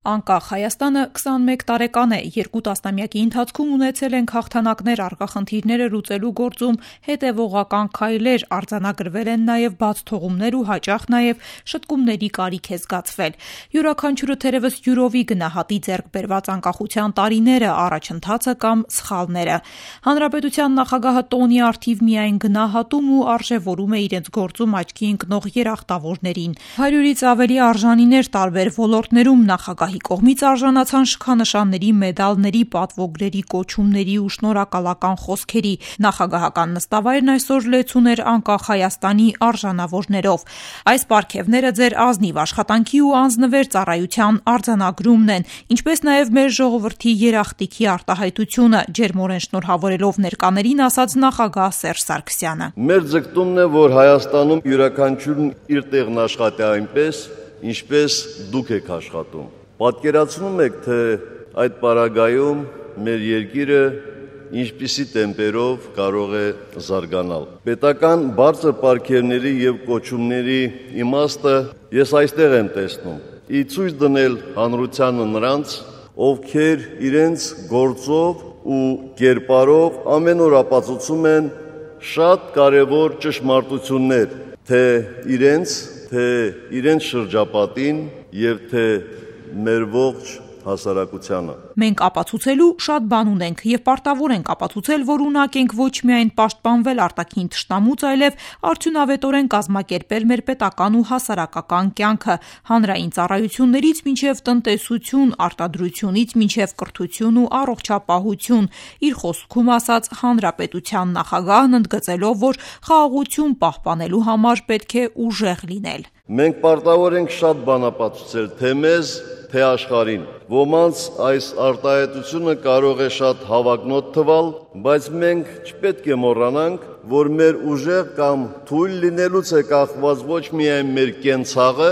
Անկախ Հայաստանը 21 տարեկան է, 2 տասնամյակի ընթացքում ունեցել ենք հաղթանակներ առկախնդիրները լուծելու գործում, հետևողական քայլեր, արձանագրվել են նաև բաց թողումներ ու հաճախ նաև շտկումների կարիք է զգացվել։ Յուրաքանչյուրը թերևս յուրովի գնահատի ձեռք բերված անկախության տարիները, առաջընթացը կամ սխալները։ Հանրապետության նախագահը տոնի առթիվ միայն գնահատում ու արժևորում է իրենց գործում աչքի ընկնող երախտավորներին։ 100-ից ավելի արժանիներ տարբեր ոլորտներում նախագահի կողմից արժանացան շքանշանների, մեդալների, պատվոգրերի, կոչումների ու շնորհակալական խոսքերի։ Նախագահական նստավայրն այսօր լեցուն էր անկախ Հայաստանի արժանավորներով։ Այս պարգևները ձեր ազնիվ աշխատանքի ու անձնվեր ծառայության արձանագրումն են, ինչպես նաև մեր ժողովրդի երախտիքի արտահայտությունը, ջերմորեն շնորհավորելով ներկաներին ասաց նախագահ Սերժ Սարգսյանը։ Մեր ձգտումն է, որ Հայաստանում յուրաքանչյուրն իր տեղն աշխատի այնպես, ինչպես դուք եք աշխատում։ Պատկերացնում եք, թե այդ պարագայում մեր երկիրը ինչպիսի տեմպերով կարող է զարգանալ։ Պետական բարձր պարգևների եւ կոչումների իմաստը ես այստեղ եմ տեսնում։ Ի ցույց դնել հանրությանը նրանց, ովքեր իրենց գործով ու կերպարով ամեն օր ապացուցում են շատ կարևոր ճշմարտություններ, թե իրենց շրջապատին եւ թե մեր ողջ հասարակությանը։ Մենք ապացուցելու շատ բան ունենք եւ պարտավոր ենք ապացուցել, որ ունակ ենք ոչ միայն պաշտպանվել արտաքին թշնամուց, այլև արդյունավետորեն կազմակերպել մեր պետական ու հասարակական կյանքը, հանրային ծառայություններից մինչև տնտեսություն, արտադրությունից մինչև կրթություն ու առողջապահություն։ Իր խոսքում ասաց հանրապետության նախագահն, ընդգծելով, որ խաղաղություն պահպանելու համար պետք է ուժեղ լինել։ Մենք պարտավոր ենք շատ բան ապացուցել թե մեզ, թե աշխարհին։ Ոմանց այս արտահայտությունը կարող է շատ հավակնոտ թվալ, բայց մենք չպետք է մոռանանք, որ մեր ուժեղ կամ թույլ լինելուց է կախված ոչ միայն մեր կենցաղը,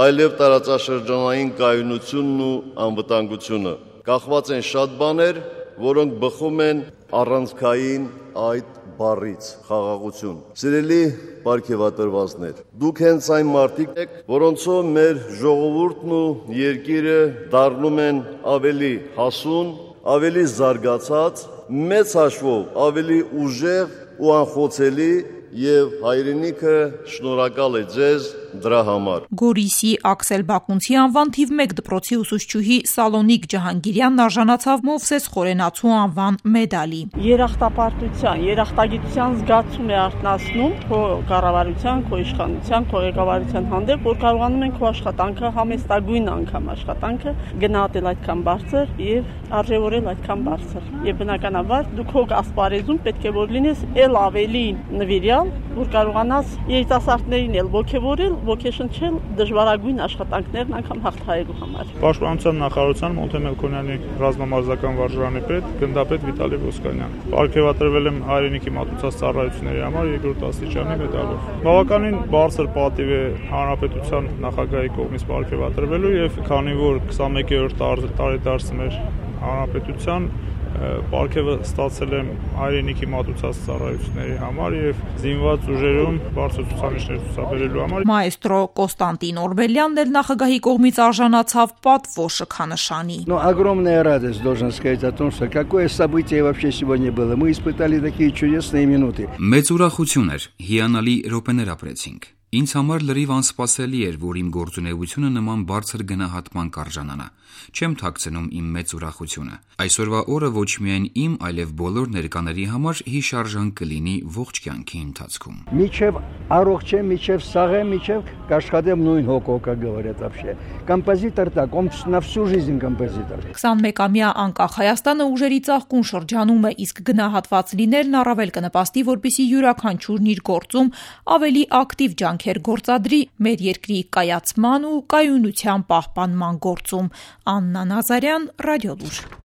այլև տարածաշրջանային կայունությունն ու անվտանգությունը։ Կախված են շատ բաներ, որոնք բխում են առանցքային այդ բառից՝ խաղաղություն։ Սիրելի պարգևատրվածներ, դուք հենց այն մարդիկ եք, որոնցով մեր ժողովուրդն ու երկիրը դառնում են ավելի հասուն, ավելի զարգացած, մեծ հաշվով ավելի ուժեղ ու անխոցելի եւ հայրենիքը շնորհակալ է ձեզ դրա համար։ Գորիսի Աքսել Բակունցի անվան թիվ 1 դպրոցի ուսուցչուհի Սալոնիկ Ջահանգիրյանն արժանացավ Մովսես Խորենացու անվան մեդալի։ Երախտապարտության, երախտագիտության զգացում է արտնասնում քո կառավարության, քո իշխանության, քո ղեկավարության հանդեպ, որ կարողանում են քո աշխատանքը համեստագույն անգամ աշխատանքը գնահատել այդքան բարձր եւ արժևորել այդքան բարձր։ Եվ բնականաբար դու քո ասպարեզում պետք է որ լինես ել ավելի նվիրյալ, որ կարողանաս երիտասարդներին էլ ոգևորել, ոգեշնչել դժվարագույն աշխատանքներն անգամ հաղթահարելու համար։ Պաշտպանության նախարարության Մոնտե Մելքոնյանի ռազմամարզական վարժարանի պետ գնդապետ Վիտալի Ոսկանյան։ Պարգևատրվել եմ հայրենիքի մատուցած ծառայությունների համար 2-րդ աստիճանի մեդալով։ Բավականին բարձր պատիվ է հանրապետության նախագահի կողմից պարգևատրվելու եւ քանի որ 21-րդ տարեդարձը մեր հանրապետության պարգևը ստացել եմ հայրենիքի մատուցած ծառայությունների համար եւ զինված ուժերում բարձր ցուցանիշներ ցուցաբերելու համար։ Մայստրո Կոստանտին Օրբելյանն էլ նախագահի կողմից արժանացավ պատվո շքանշանի։ Огромная радость, должен сказать о том, что какое событие вообще сегодня было. Мы испытали такие чудесные минуты. Մեծ ուրախություն էր, հիանալի րոպեներ ապրեցինք։ Ինձ համար լրիվ անսպասելի էր, որ իմ գործունեությունը նման բարձր գնահատման կարժանանա։ Չեմ թաքցնում իմ մեծ ուրախությունը։ Այսօրվա օրը ոչ միայն իմ, այլև բոլոր ներկաների համար հիշարժան կլինի ողջ կյանքի ընթացքում։ Միջև առողջ եմ, միջև սաղ եմ, միջև կաշխատեմ նույն հոգով, как говорят вообще. Композитор так, он на всю жизнь композитор։ 21-ամյա անկախ Հայաստանը ուժերի ծաղկուն շրջանում է, իսկ գնահատված լինելն առավել կնպաստի, որպեսզի յուրաքանչյուրն իր գործում ավելի ակտիվ ջանքեր գործադրի մեր երկրի կայացման ու կայունության պահպանման գործում։ Աննա Նազարյան, Ռադիոլուր։